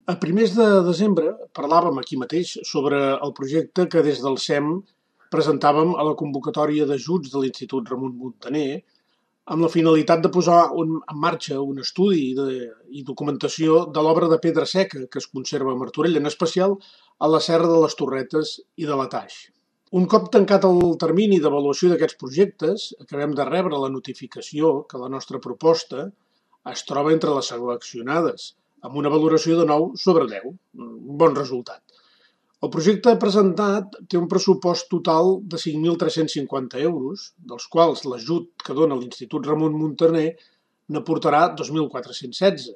A primers de desembre parlàvem aquí mateix sobre el projecte que des del SEM presentàvem a la convocatòria d'ajuts de l'Institut Ramon Muntaner amb la finalitat de posar en marxa un estudi i documentació de l'obra de pedra seca que es conserva a Martorell, en especial a la Serra de les Torretes i de la Taix. Un cop tancat el termini d'avaluació d'aquests projectes, acabem de rebre la notificació que la nostra proposta es troba entre les seleccionades, amb una valoració de 9 sobre 10, un bon resultat. El projecte presentat té un pressupost total de 5.350 euros, dels quals l'ajut que dona l'Institut Ramon Muntaner n'aportarà 2.416.